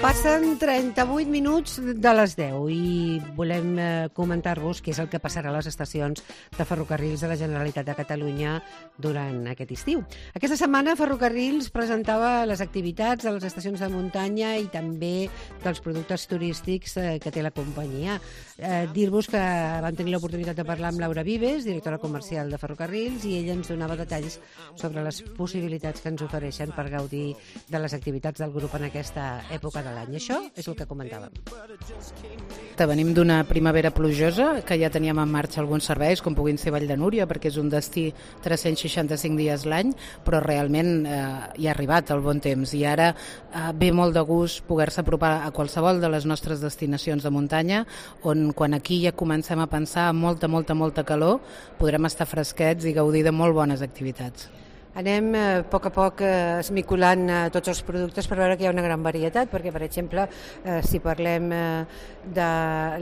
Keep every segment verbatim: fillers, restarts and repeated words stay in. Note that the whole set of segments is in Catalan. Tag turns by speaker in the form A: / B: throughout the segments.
A: Passen trenta-vuit minuts de les deu i volem eh, comentar-vos què és el que passarà a les estacions de ferrocarrils de la Generalitat de Catalunya durant aquest estiu. Aquesta setmana Ferrocarrils presentava les activitats de les estacions de muntanya i també dels productes turístics eh, que té la companyia. Eh, dir-vos que vam tenir l'oportunitat de parlar amb Laura Vives, directora comercial de Ferrocarrils, i ella ens donava detalls sobre les possibilitats que ens ofereixen per gaudir de les activitats del grup en aquesta època de l'any. Això és el que comentàvem.
B: Venim d'una primavera plujosa, que ja teníem en marxa alguns serveis, com puguin ser Vall de Núria, perquè és un destí tres-cents seixanta-cinc dies l'any, però realment eh, hi ha arribat el bon temps i ara eh, ve molt de gust poder-se apropar a qualsevol de les nostres destinacions de muntanya, on quan aquí ja comencem a pensar en molta, molta, molta calor, podrem estar fresquets i gaudir de molt bones activitats.
A: Anem eh, a poc a poc eh, esmiculant eh, tots els productes per veure que hi ha una gran varietat, perquè, per exemple, eh, si parlem eh, de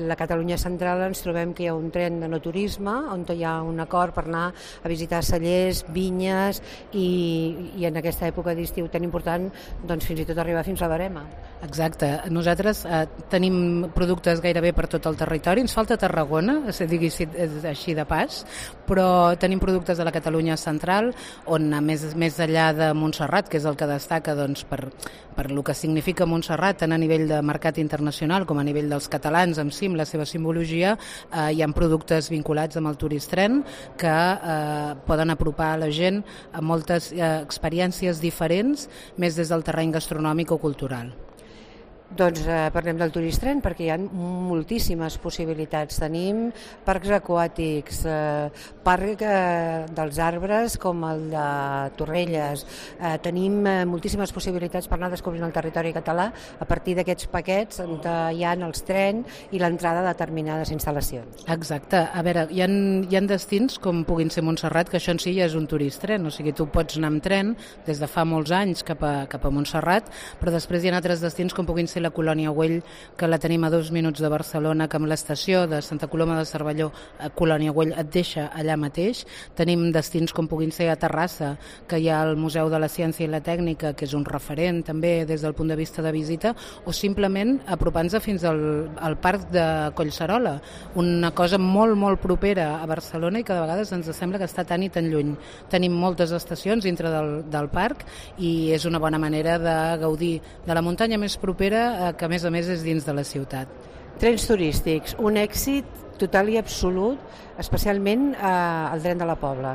A: la Catalunya central, ens trobem que hi ha un tren de no turisme, on hi ha un acord per anar a visitar cellers, vinyes, i, i en aquesta època d'estiu tan important, doncs fins i tot arribar fins a Verema.
B: Exacte. Nosaltres eh, tenim productes gairebé per tot el territori. Ens falta Tarragona, si digui així de pas, però tenim productes de la Catalunya central, on més, més enllà de Montserrat, que és el que destaca doncs, per, per el que significa Montserrat, tant a nivell de mercat internacional com a nivell dels catalans en si, amb la seva simbologia, eh, hi ha productes vinculats amb el Turistren que eh, poden apropar a la gent a moltes eh, experiències diferents, més des del terreny gastronòmic o cultural.
A: Doncs eh, parlem del Turistren, perquè hi ha moltíssimes possibilitats. Tenim parcs aquàtics, eh, parc eh, dels arbres com el de Torrelles, eh, tenim eh, moltíssimes possibilitats per anar descobrint el territori català a partir d'aquests paquets on hi ha els trens i l'entrada de determinades instal·lacions.
B: Exacte. A veure, hi ha, hi ha destins com puguin ser Montserrat, que això en si ja és un Turistren, o sigui, tu pots anar amb tren des de fa molts anys cap a, cap a Montserrat, però després hi ha altres destins com puguin ser la Colònia Güell, que la tenim a dos minuts de Barcelona, que amb l'estació de Santa Coloma de Cervelló, a Colònia Güell et deixa allà mateix. Tenim destins com puguin ser a Terrassa, que hi ha el Museu de la Ciència i la Tècnica, que és un referent també des del punt de vista de visita, o simplement apropant-se fins al, al Parc de Collserola, una cosa molt, molt propera a Barcelona i que de vegades ens sembla que està tan i tan lluny. Tenim moltes estacions dintre del, del parc i és una bona manera de gaudir de la muntanya més propera, que a més a més és dins de la ciutat.
A: Trens turístics, un èxit total i absolut, especialment eh, el tren de la Pobla.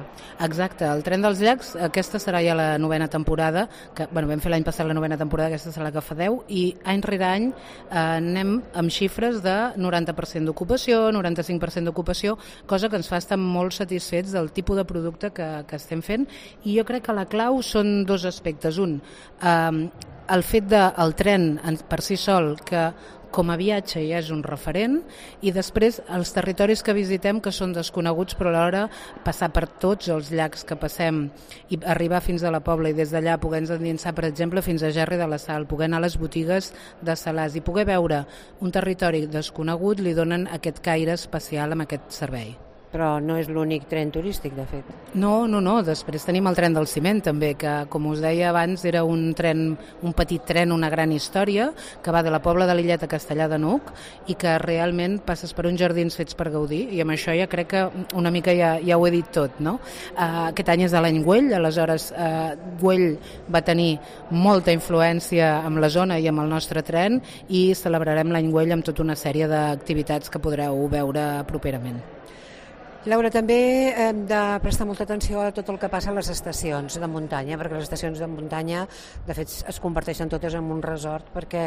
B: Exacte, el tren dels llacs, aquesta serà ja la novena temporada, que bueno, vam fer l'any passat la novena temporada, aquesta serà la que fa deu, i any rere any eh, anem amb xifres de noranta per cent d'ocupació, noranta-cinc per cent d'ocupació, cosa que ens fa estar molt satisfets del tipus de producte que, que estem fent, i jo crec que la clau són dos aspectes. Un, eh, el fet del tren per si sol, que com a viatge ja és un referent, i després els territoris que visitem que són desconeguts, però alhora passar per tots els llacs que passem i arribar fins a la Pobla i des d'allà poder endinsar, per exemple, fins a Gerri de la Sal, poder anar a les botigues de Salàs i poder veure un territori desconegut li donen aquest caire especial amb aquest servei.
A: Però no és l'únic tren turístic, de fet.
B: No, no, no. Després tenim el tren del ciment, també, que, com us deia abans, era un tren, un petit tren, una gran història, que va de la Pobla de Lillet a Castellar de n'Hug i que realment passes per uns jardins fets per gaudir, i amb això ja crec que una mica ja, ja ho he dit tot, no? Uh, aquest any és de l'any Güell, aleshores uh, Güell va tenir molta influència amb la zona i amb el nostre tren, i celebrarem l'any Güell amb tota una sèrie d'activitats que podreu veure properament.
A: Laura, també hem de prestar molta atenció a tot el que passa a les estacions de muntanya, perquè les estacions de muntanya, de fet, es converteixen totes en un resort, perquè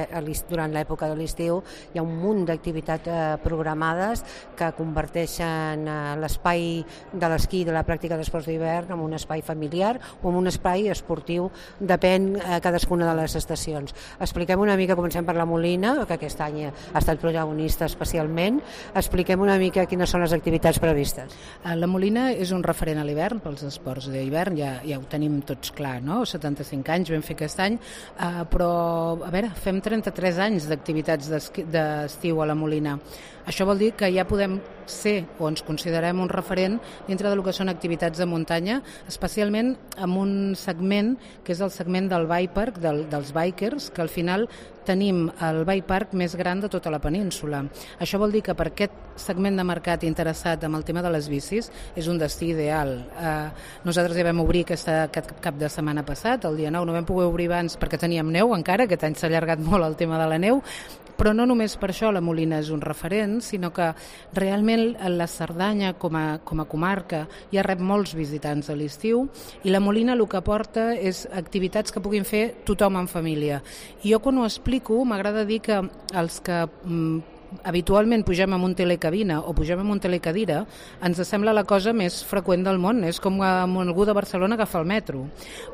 A: durant l'època de l'estiu hi ha un munt d'activitats eh, programades que converteixen eh, l'espai de l'esquí i de la pràctica d'esports d'hivern en un espai familiar o en un espai esportiu, depèn eh, cadascuna de les estacions. Expliquem una mica, comencem per la Molina, que aquest any ha estat protagonista especialment, expliquem una mica quines són les activitats previstes. turístiques?
B: La Molina és un referent a l'hivern, pels esports d'hivern, ja, ja ho tenim tots clar, no? setanta-cinc anys vam fer aquest any, uh, però, a veure, fem trenta-tres anys d'activitats d'estiu a la Molina. Això vol dir que ja podem ser o ens considerem un referent dintre del que són activitats de muntanya, especialment amb un segment que és el segment del bike park, del, dels bikers, que al final tenim el bike park més gran de tota la península. Això vol dir que per aquest segment de mercat interessat en el tema de les bicis és un destí ideal. Eh, nosaltres ja vam obrir aquesta, aquest cap de setmana passat, el dia nou, no vam poder obrir abans perquè teníem neu encara, aquest any s'ha allargat molt el tema de la neu, però no només per això la Molina és un referent, sinó que realment la Cerdanya com a, com a comarca ja rep molts visitants a l'estiu i la Molina el que aporta és activitats que puguin fer tothom en família. I jo quan ho explico m'agrada dir que els que mm, habitualment pugem amb un telecabina o pugem amb un telecadira, ens sembla la cosa més freqüent del món, és com amb algú de Barcelona agafar el metro.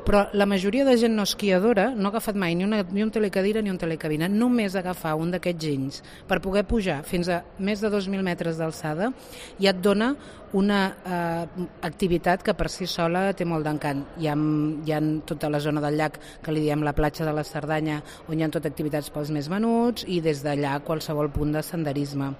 B: Però la majoria de gent no esquiadora no ha agafat mai ni, una, ni un telecadira ni un telecabina, només agafar un d'aquests ginys per poder pujar fins a més de dos mil metres d'alçada ja et dona una eh, activitat que per si sola té molt d'encant. Hi ha, hi ha tota la zona del llac que li diem la platja de la Cerdanya, on hi ha tot activitats pels més menuts i des d'allà qualsevol punt de senderisme.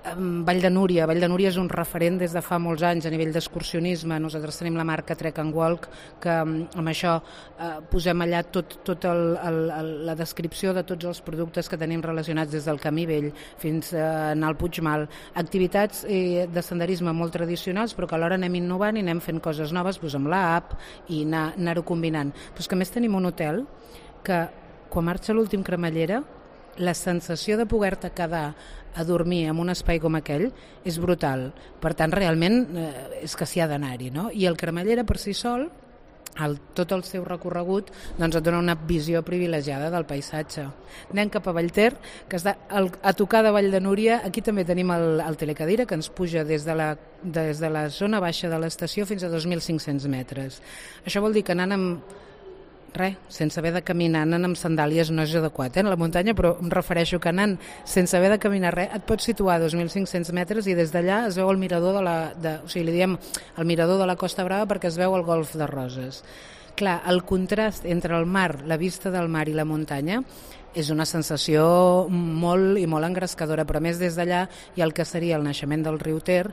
B: Vall de Núria. Vall de Núria és un referent des de fa molts anys a nivell d'excursionisme. Nosaltres tenim la marca Trek and Walk, que amb això eh, posem allà tot, tot el, el, el, la descripció de tots els productes que tenim relacionats des del Camí Vell fins a anar al Puigmal. Activitats eh, de senderisme molt tradicionals, però que alhora anem innovant i anem fent coses noves doncs amb l'app i anar, anar-ho combinant. Però és que a més tenim un hotel que quan marxa l'últim cremallera la sensació de poder-te quedar a dormir en un espai com aquell és brutal. Per tant, realment eh, és que s'hi ha d'anar-hi, no? I el cremallera per si sol, el, tot el seu recorregut, doncs et dona una visió privilegiada del paisatge. Anem cap a Vallter, que està al, a tocar de Vall de Núria. Aquí també tenim el, el telecadira, que ens puja des de, la, des de la zona baixa de l'estació fins a dos mil cinc-cents metres. Això vol dir que anant amb res, sense haver de caminar, anant amb sandàlies no és adequat, eh, en la muntanya, però em refereixo que anant sense haver de caminar res, et pots situar a dos mil cinc-cents metres i des d'allà es veu el mirador de la, de, o sigui, li diem el mirador de la Costa Brava perquè es veu el golf de Roses. Clar, el contrast entre el mar, la vista del mar i la muntanya és una sensació molt i molt engrescadora, però a més des d'allà hi ha el que seria el naixement del riu Ter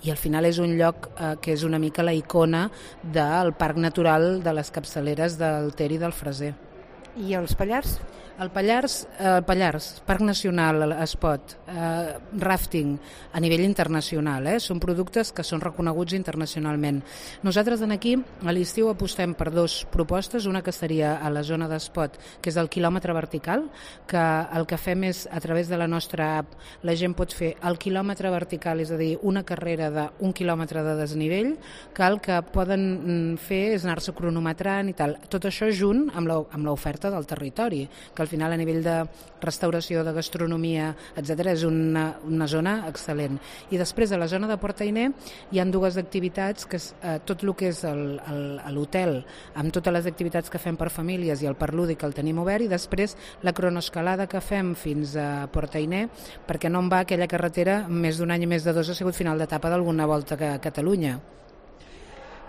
B: i al final és un lloc eh, que és una mica la icona del parc natural de les capçaleres del Ter i del Freser.
A: I els Pallars?
B: El Pallars, el Pallars, Parc Nacional, Espot, eh, rafting a nivell internacional, eh? Són productes que són reconeguts internacionalment. Nosaltres en aquí a l'estiu apostem per dues propostes, una que seria a la zona d'Espot, que és el quilòmetre vertical, que el que fem és a través de la nostra app la gent pot fer el quilòmetre vertical, és a dir, una carrera d'un quilòmetre de desnivell, que el que poden fer és anar-se cronometrant i tal. Tot això junt amb l'oferta del territori, que al final a nivell de restauració, de gastronomia, etcètera, és una, una zona excel·lent. I després a la zona de Port-Ainé hi ha dues activitats, que és eh, tot el que és l'hotel, amb totes les activitats que fem per famílies i el parc lúdic que el tenim obert, i després la cronoescalada que fem fins a Port-Ainé, perquè no en va aquella carretera més d'un any i més de dos ha sigut final d'etapa d'alguna volta a Catalunya.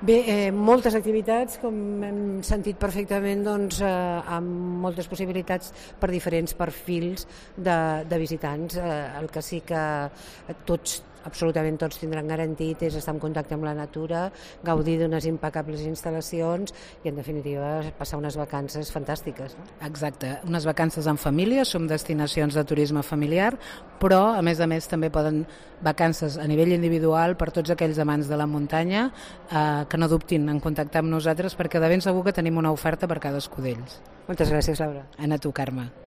A: Bé, eh, moltes activitats, com hem sentit perfectament, doncs, eh, amb moltes possibilitats per diferents perfils de, de visitants. Eh, el que sí que tots, absolutament tots tindran garantit és estar en contacte amb la natura, gaudir d'unes impecables instal·lacions i, en definitiva, passar unes vacances fantàstiques. No?
B: Exacte, unes vacances en família, som destinacions de turisme familiar, però, a més a més, també poden vacances a nivell individual per tots aquells amants de la muntanya eh, que no dubtin en contactar amb nosaltres perquè de ben segur que tenim una oferta per cadascú d'ells.
A: Moltes gràcies, Laura.
B: A tu, Carme.